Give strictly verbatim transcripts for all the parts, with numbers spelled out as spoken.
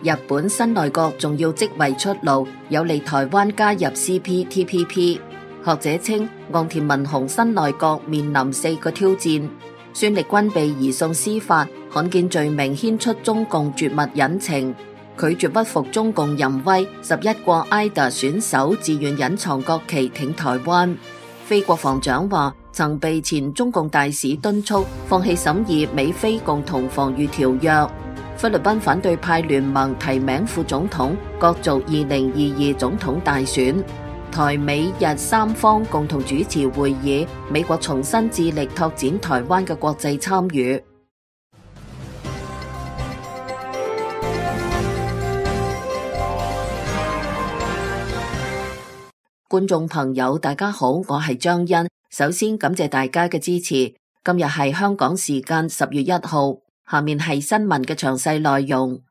日本新內閣重要職位出爐，有利台灣加入 C P T P P。學者稱，岸田文雄新內閣面臨四個挑戰：孫力軍被移送司法，罕見罪名牽出中共絕密隱情；拒絕屈服中共淫威，十一國 I D A 選手自願隱藏國旗挺台灣。非國防長話，曾被前中共大使敦促放棄審議美菲共同防禦條約。菲律賓反對派聯盟提名副總統，角逐二零二二總統大選。台美日三方共同主持會議，美國重新致力拓展台灣嘅國際參與。觀眾朋友，大家好，我係張欣。首先感謝大家嘅支持。今日係香港時間十月一號，下面係新聞嘅詳細內容。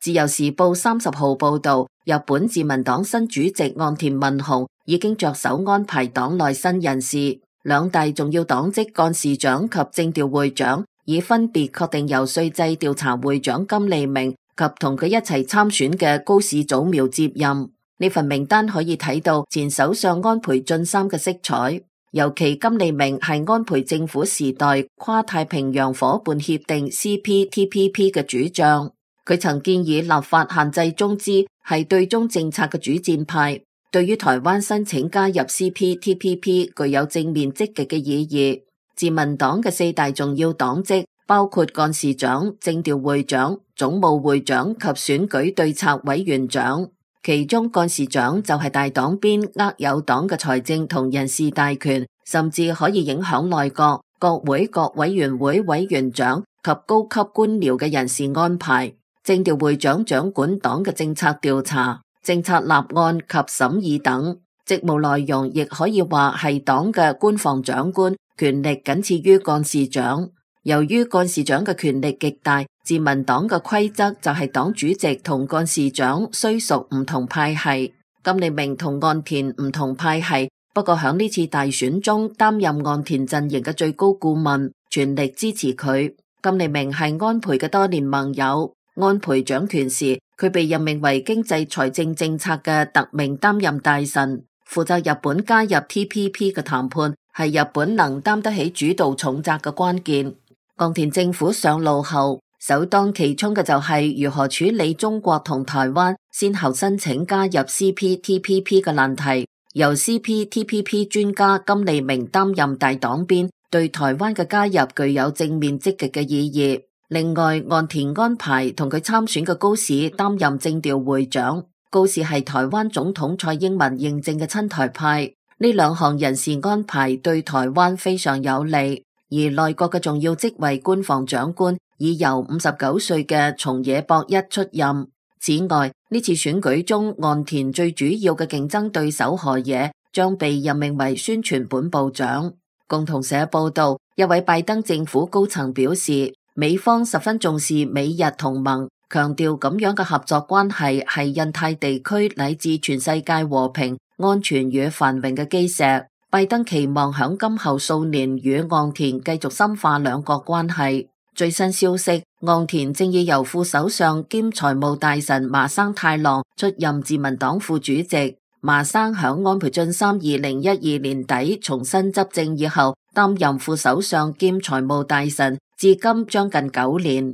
自由時報三十號報道，日本自民黨新主席岸田文雄已經着手安排黨內新人事，兩大重要黨職幹事長及政調會長已分別確定由稅制調查會長金利明及同佢一齊參選嘅高市早苗接任。呢份名單可以睇到前首相安倍晉三嘅色彩，尤其金利明係安倍政府時代跨太平洋夥伴協定 C P T P P 嘅主將。佢曾建議立法限制中資，係對中政策嘅主戰派，對於台灣申請加入 C P T P P 具有正面積極嘅意義。自民黨嘅四大重要黨職包括幹事長、政調會長、總務會長及選舉對策委員長，其中幹事長就係大黨邊握有黨嘅財政同人事大權，甚至可以影響內閣、國會各委員會委員長及高級官僚嘅人事安排。政調會長掌管黨嘅政策調查、政策立案及審議等，職務內容亦可以話係黨嘅官房長官，權力僅次於幹事長。由於幹事長嘅權力極大，自民黨嘅規則就係黨主席同幹事長雖屬唔同派系。金利明同岸田唔同派系，不過響呢次大選中擔任岸田陣營嘅最高顧問，全力支持佢。金利明係安倍嘅多年盟友。安倍掌權時，佢被任命為經濟財政政策嘅特命擔任大臣，負責日本加入 T P P 嘅談判，係日本能擔得起主導重責嘅關鍵。岸田政府上路後，首當其衝嘅就係如何處理中國同台灣先後申請加入 C P T P P 嘅難題，由 C P T P P 專家金利明擔任大黨鞭，對台灣嘅加入具有正面積極嘅意義。另外，岸田安排同佢參選嘅高市擔任政調會長。高市係台灣總統蔡英文認證嘅親台派，呢兩項人事安排對台灣非常有利。而內閣嘅重要職位官房長官已由五十九歲嘅松野博一出任。此外，呢次選舉中，岸田最主要嘅競爭對手河野將被任命為宣傳本部長。共同社報道，一位拜登政府高層表示，美方十分重視美日同盟，強調咁樣嘅合作關係係印太地區乃至全世界和平、安全與繁榮嘅基石。拜登期望響今後數年與岸田繼續深化兩國關係。最新消息，岸田正以由副首相兼財務大臣麻生太郎出任自民黨副主席。麻生響安倍晉三二零一二年底重新執政以後，擔任副首相兼財務大臣，至今將近九年。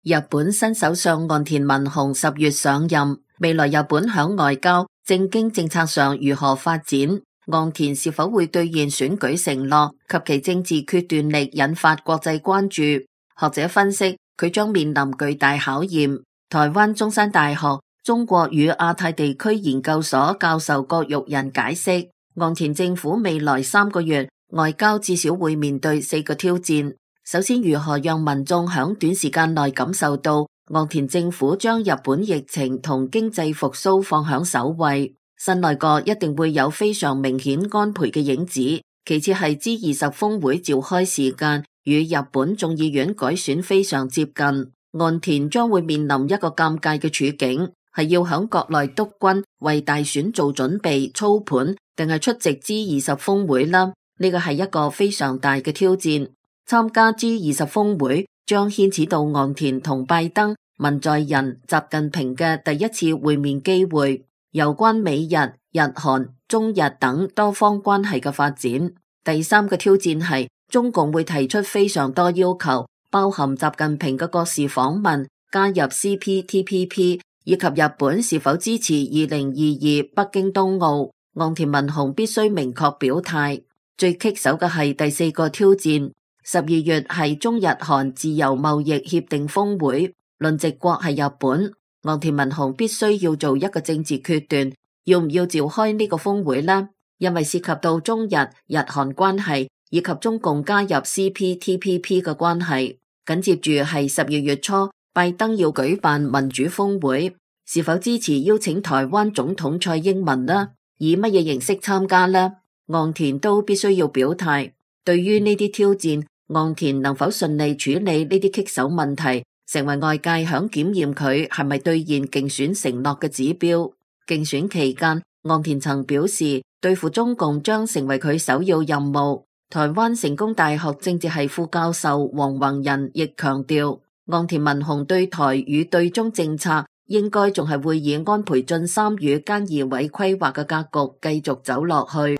日本新首相岸田文雄十月上任，未來日本響外交、政經政策上如何發展？岸田是否會兌現選舉承諾及其政治決斷力引發國際關注？學者分析，佢將面臨巨大考驗。台灣中山大學中國與亞太地區研究所教授郭玉仁解釋，岸田政府未來三個月外交至少會面對四個挑戰。首先，如何讓民眾喺短時間內感受到岸田政府將日本疫情同經濟復甦放響首位。新內閣一定會有非常明顯安倍嘅影子。其次係 G 二十峰會召開時間與日本眾議院改選非常接近，岸田將會面臨一個尷尬嘅處境。係要響國內督軍為大選做準備操盤，定係出席 G 二十峰會啦？呢個係一個非常大嘅挑戰。參加 G 二十峰會將牽扯到岸田同拜登、文在寅、習近平嘅第一次會面機會，有關美日、日韓、中日等多方關係嘅發展。第三個挑戰係中共會提出非常多要求，包含習近平嘅國事訪問、加入 C P T P P 以及日本是否支持二零二二北京冬奧。岸田文雄必須明確表態。最棘手嘅係第四個挑戰。十二月係中日韓自由貿易協定峰會，輪值國係日本。岸田文雄必須要做一個政治決斷，要唔要召開呢個峰會呢？因為涉及到中日日韓關係以及中共加入 C P T P P 嘅關係。緊接住係十二月初，拜登要舉辦民主峰會，是否支持邀請台灣總統蔡英文呢？以乜嘢形式參加呢？岸田都必須要表態。對於呢啲挑戰，岸田能否順利處理呢啲棘手問題，成為外界響檢驗佢係咪兌現競選承諾嘅指標。競選期間，岸田曾表示對付中共將成為佢首要任務。台灣成功大學政治系副教授黃宏仁亦強調，岸田文雄對台與對中政策應該仲係會以安倍晉三與菅義偉規劃嘅格局繼續走落去。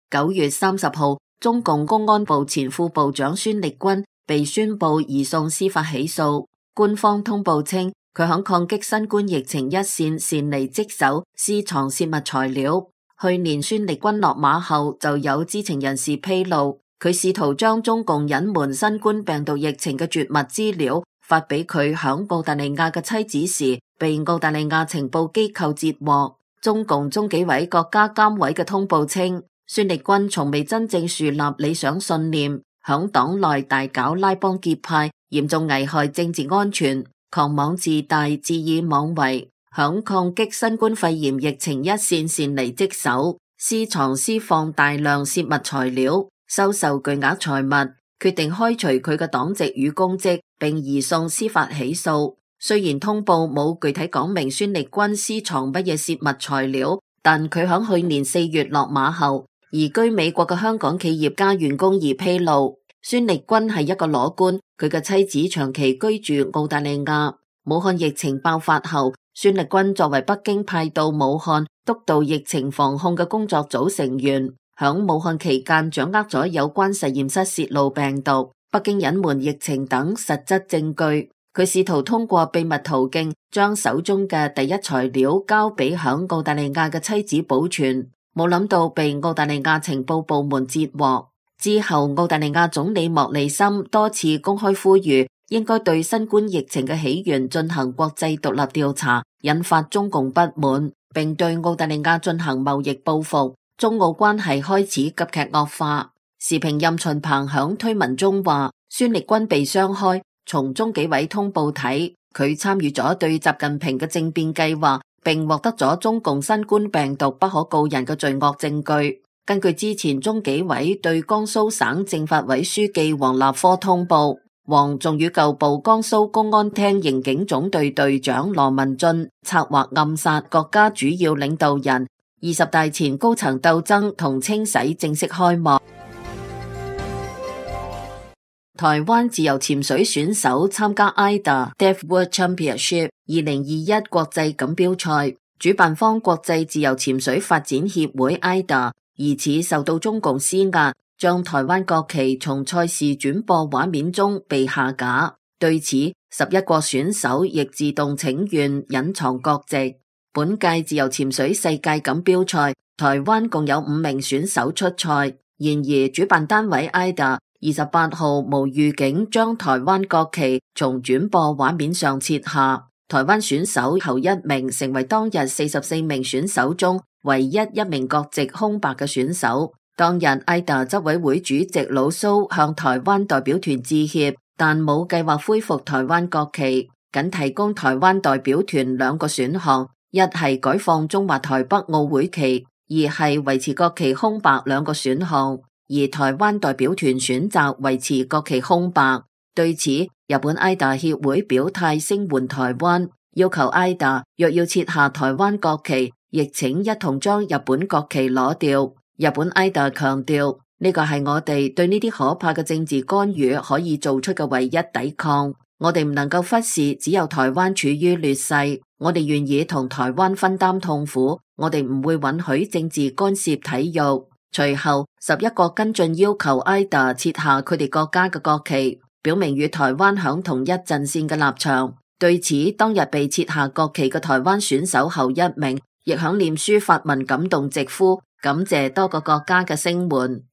九月三十號，中共公安部前副部長孫力軍被宣布移送司法起訴。官方通報稱，佢響抗擊新冠疫情一線擅離職守，私藏泄密材料。去年孫力軍落馬後，就有知情人士披露，佢試圖將中共隱瞞新冠病毒疫情嘅絕密資料發俾佢響澳大利亞嘅妻子時，被澳大利亞情報機構截獲。中共中紀委國家監委嘅通報稱，孫力軍從未真正樹立理想信念，響黨內大搞拉幫結派，嚴重危害政治安全，狂妄自大，恣意妄為，響抗擊新冠肺炎疫情一線擅離職守，私藏私放大量泄密材料，收受巨額財物，決定開除佢嘅黨籍與公職，並移送司法起訴。雖然通報冇具體講明孫力軍私藏乜嘢泄密材料，但佢響去年四月落馬後，移居美國嘅香港企業家袁弓夷披露，孫力軍係一個裸官，佢嘅妻子長期居住澳大利亞。武漢疫情爆發後，孫力軍作為北京派到武漢督導疫情防控嘅工作組成員，響武漢期間掌握咗有關實驗室洩露病毒、北京隱瞞疫情等實質證據。佢試圖通過秘密途徑將手中嘅第一材料交俾響澳大利亞嘅妻子保存，冇諗到被澳大利亞情報部門截獲。之後，澳大利亞總理莫里森多次公開呼籲應該對新冠疫情嘅起源進行國際獨立調查，引發中共不滿，並對澳大利亞進行貿易報復，中澳關係開始急劇惡化。時評任秦鵬響推文中話，孫力軍被雙開，從中紀委通報睇，佢參與咗對習近平嘅政變計劃，並獲得咗中共新冠病毒不可告人嘅罪惡證據。根據之前中紀委對江蘇省政法委書記王立科通報，王仲與舊部江蘇公安廳刑警總隊隊長羅文俊策劃暗殺國家主要領導人，二十大前高層鬥爭同清洗正式開幕。台灣自由潛水選手參加 I D A Depth World Championship 二零二一國際錦標賽，主辦方國際自由潛水發展協會 I D A 疑似受到中共施壓，將台灣國旗從賽事轉播畫面中被下架。對此，十一國選手亦自動請願隱藏國籍。本屆自由潛水世界錦標賽，台灣共有五名選手出賽，然而主辦單位 I D A 二十八號無預警將台灣國旗從轉播畫面上撤下。台灣選手頭一名成為當日四十四名選手中唯一一名國籍空白嘅選手。當日 I D A 執委會主席老蘇向台灣代表團致歉，但冇計劃恢復台灣國旗，僅提供台灣代表團兩個選項，一係改放中華台北奧會旗，二係維持國旗空白兩個選項。而台灣代表團選擇維持國旗空白。對此，日本 I D A 協會表態聲援台灣，要求 I D A 若要撤下台灣國旗，亦請一同將日本國旗攞掉。日本 I D A 強調，呢個係我哋對呢啲可怕嘅政治干預可以做出嘅唯一抵抗。我哋唔能夠忽視只有台灣處於劣勢，我哋願意同台灣分擔痛苦，我哋唔會允許政治干涉體育。隨後，十一國跟進要求 I D A 撤下佢哋國家嘅國旗，表明與台灣響同一陣線嘅立場。對此，當日被撤下國旗嘅台灣選手後一名，亦響臉書發文感動直呼，感謝多個國家嘅聲援。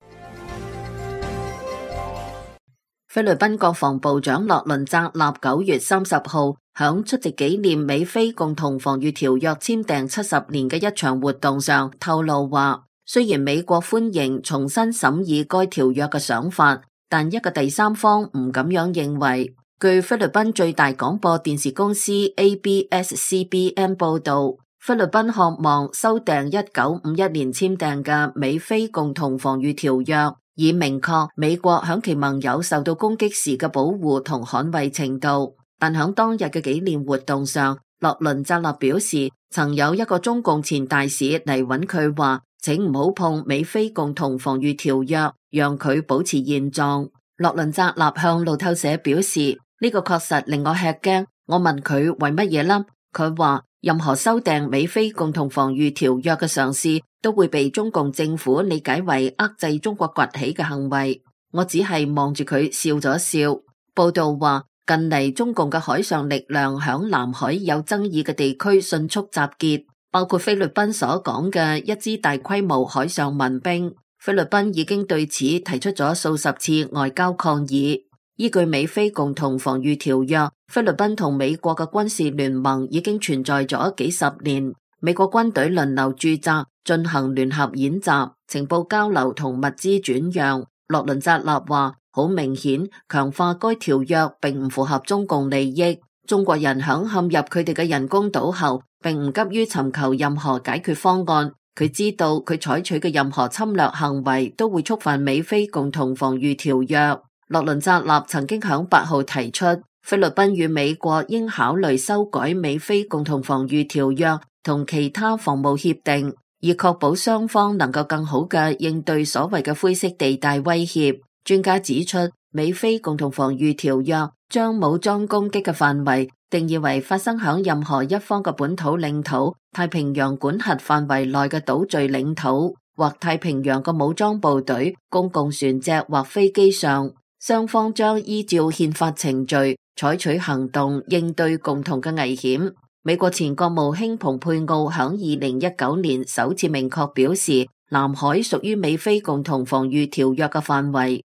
菲律賓國防部長洛倫扎納九月三十號響出席紀念美菲共同防禦條約簽訂七十年嘅一場活動上透露話，雖然美國歡迎重新審議該條約嘅想法，但一個第三方唔咁樣認為。據菲律賓最大廣播電視公司 A B S C B N 報道，菲律賓渴望修訂一九五一年簽訂嘅美菲共同防禦條約，以明確美國響其盟友受到攻擊時嘅保護同捍衛程度。但響當日嘅紀念活動上，洛倫扎納表示，曾有一個中共前大使嚟揾佢話，請唔好碰美菲共同防禦條約，讓佢保持現狀。洛倫扎納向路透社表示，呢個確實令我吃驚。我問佢為乜嘢啦？佢話任何修訂美菲共同防禦條約嘅嘗試都會被中共政府理解為遏制中國崛起嘅行為。我只係望住佢笑咗笑。報道話，近嚟中共嘅海上力量響南海有爭議嘅地區迅速集結，包括菲律賓所講嘅一支大規模海上民兵。菲律賓已經對此提出咗數十次外交抗議。依據美菲共同防禦條約，菲律賓同美國嘅軍事聯盟已經存在咗幾十年。美國軍隊輪流駐紮，進行聯合演習、情報交流同物資轉讓。洛倫扎納話，好明顯，強化該條約並唔符合中共利益。中國人響陷入佢哋嘅人工島後，並唔急於尋求任何解決方案。佢知道佢採取嘅任何侵略行為都會觸犯美菲共同防禦條約。洛倫扎納曾經響八號提出，菲律賓與美國應考慮修改美菲共同防禦條約同其他防務協定，以確保雙方能夠更好嘅應對所謂嘅灰色地帶威脅。專家指出，美菲共同防禦條約將武裝攻擊嘅範圍定義為發生響任何一方嘅本土領土、太平洋管轄範圍內嘅島嶼領土或太平洋嘅武裝部隊、公共船隻或飛機上。雙方將依照憲法程序採取行動應對共同嘅危險。美國前國務卿蓬佩奧響二零一九年首次明確表示，南海屬於美菲共同防禦條約嘅範圍。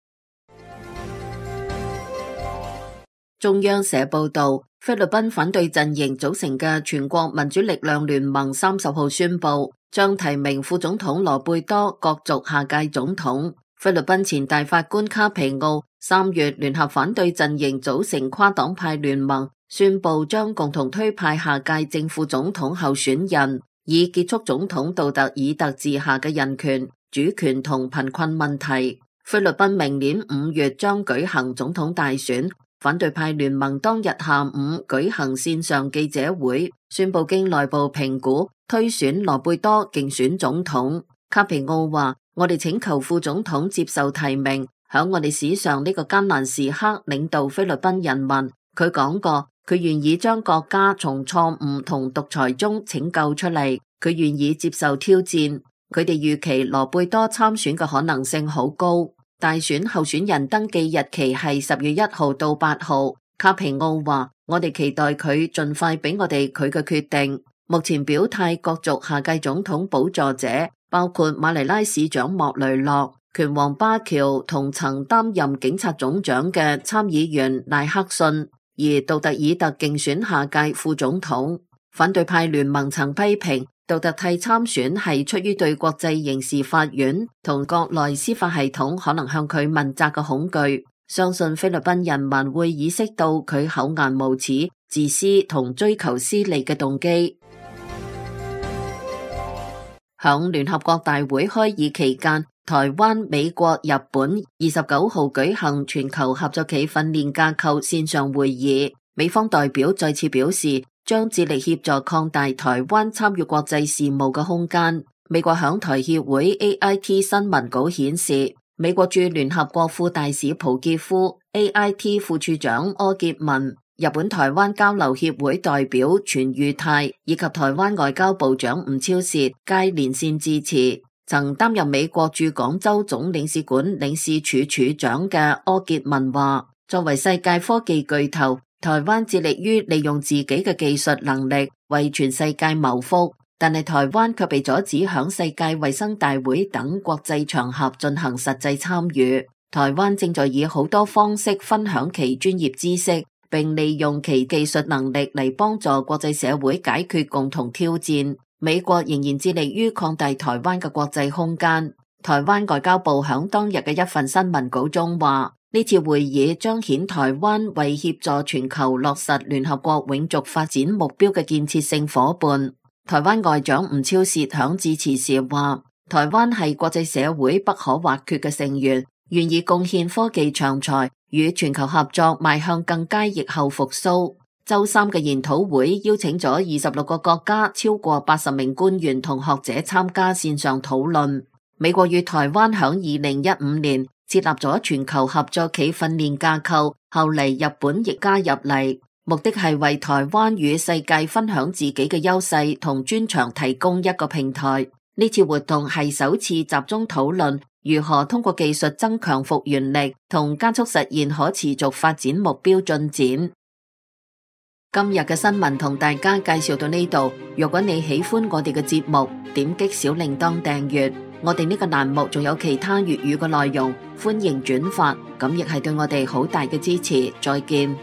中央社報道，菲律賓反對陣營組成嘅全國民主力量聯盟三十號宣布，將提名副總統羅貝多角逐下屆總統。菲律賓前大法官卡皮奧三月聯合反對陣營組成跨黨派聯盟，宣布將共同推派下屆正副總統候選人，以結束總統杜特爾特治下嘅人權、主權同貧困問題。菲律賓明年五月將舉行總統大選，反對派聯盟當日下午舉行線上記者會，宣布經內部評估推選羅貝多競選總統。卡皮奧話：我哋請求副總統接受提名，響我哋史上呢個艱難時刻領導菲律賓人民。佢講過，佢願意將國家從錯誤同獨裁中拯救出嚟，佢願意接受挑戰。佢哋預期羅貝多參選嘅可能性好高。大選候選人登記日期係十月一號到八號。卡皮奧話：我哋期待佢盡快俾我哋佢嘅決定。目前表態角逐下屆總統寶座者包括馬尼拉市長莫雷諾、拳王巴喬同曾擔任警察總長嘅參議員賴克遜，而杜特爾特競選下屆副總統。反對派聯盟曾批評杜特蒂參選係出於對國際刑事法院同國內司法系統可能向佢問責嘅恐懼，相信菲律賓人民會意識到佢厚顏無恥、自私同追求私利嘅動機。響聯合國大會開議期間，台灣、美國、日本二十九號舉行全球合作暨訓練架構線上會議，美方代表再次表示將致力協助擴大台灣參與國際事務嘅空間。美國響台協會 A I T 新聞稿顯示，美國駐聯合國副大使蒲傑夫、A I T 副處長柯潔文、日本台灣交流協會代表全裕泰以及台灣外交部長吳釗燮皆連線致辭。曾擔任美國駐廣州總領事館領事處處長嘅柯潔文話，作為世界科技巨頭，台灣致力於利用自己嘅技術能力為全世界謀福，但係台灣卻被阻止響世界衛生大會等國際場合進行實際參與。台灣正在以好多方式分享其專業知識，並利用其技術能力嚟幫助國際社會解決共同挑戰。美國仍然致力於擴大台灣嘅國際空間。台灣外交部響當日嘅一份新聞稿中話，呢次會議彰顯台灣為協助全球落實聯合國永續發展目標嘅建設性夥伴。台灣外長吳釗燮響致辭時話，台灣係國際社會不可或缺嘅成員，願意貢獻科技長才，與全球合作邁向更佳疫後復甦。周三嘅研討會邀請咗二十六個國家超過八十名官員同學者參加線上討論。美國與台灣響二零一五年設立咗全球合作暨訓練架構，後嚟日本亦加入嚟，目的係為台灣與世界分享自己嘅優勢同專長提供一個平台。呢次活動係首次集中討論如何通過技術增強復原力同加速實現可持續發展目標進展。今日嘅新聞同大家介紹到呢度。如果你喜歡我哋嘅節目，點擊小鈴鐺訂閱。我哋呢個欄目仲有其他粵語嘅內容，歡迎轉發，咁亦係對我哋好大嘅支持。再見。